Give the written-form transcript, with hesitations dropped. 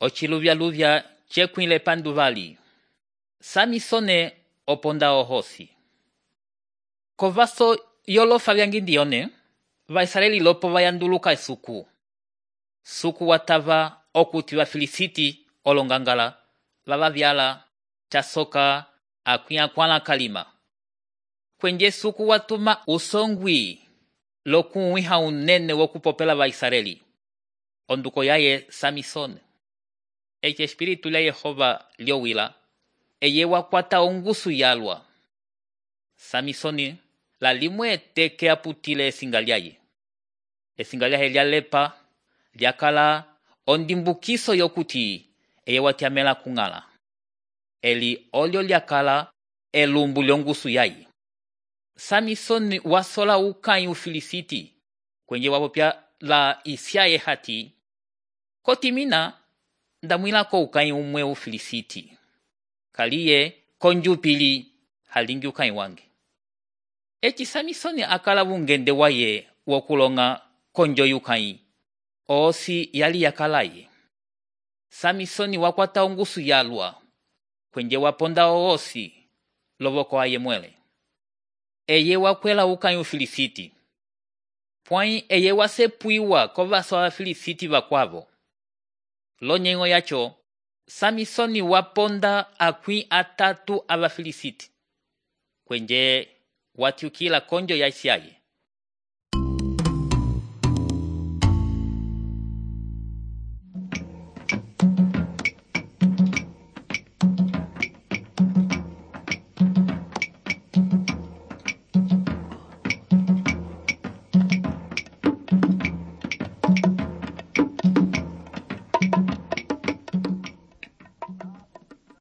ociluvyaluvya cekwile panduvali. Samisone oponda ohosi. Kovaso yolofa vyangindione, Vaisraeli lopo vayanduluka esuku. Suku watava okuti Vafilisiti olongangala, vavavyala, chasoka, akuyakwala kalima. Kwenje suku watuma usongwi lokuwiha unene wokupopela Vaisraeli. Onduko yaye Samisone. Ece espiritu la Yehova liowila, eye wakwata ongusu yalwa. Samisoni la limwe teke aputile esinga lyaye. Esinga lyaye lyalepa, lyakala ondimbukiso yokuti eye watiamela kungala. Eli olyo lyakala elumbu lyongusu yaye. Samisoni wasola ukai Ufilisiti, kwenye wapopya la isyaye hati, kotimina ndamwilako ukai umwe Ufilisiti. Kaliye konjupili halingi ukai wange. Eci Samisoni akala vungende waye wokulonga konjo yukai. Osi yali yakalaye. Samisoni wakwata ongusu yalwa, kwenye waponda oosi lovoko aye mwele. Eye wakwela ukai Ufilisiti. Pwai eye wasepuiwa kovaso Afilisiti vakwavo. Lonyengo yacho, Samisoni waponda akwi atatu Abafilisiti. Kwenye watiukila konjo ya isyaye.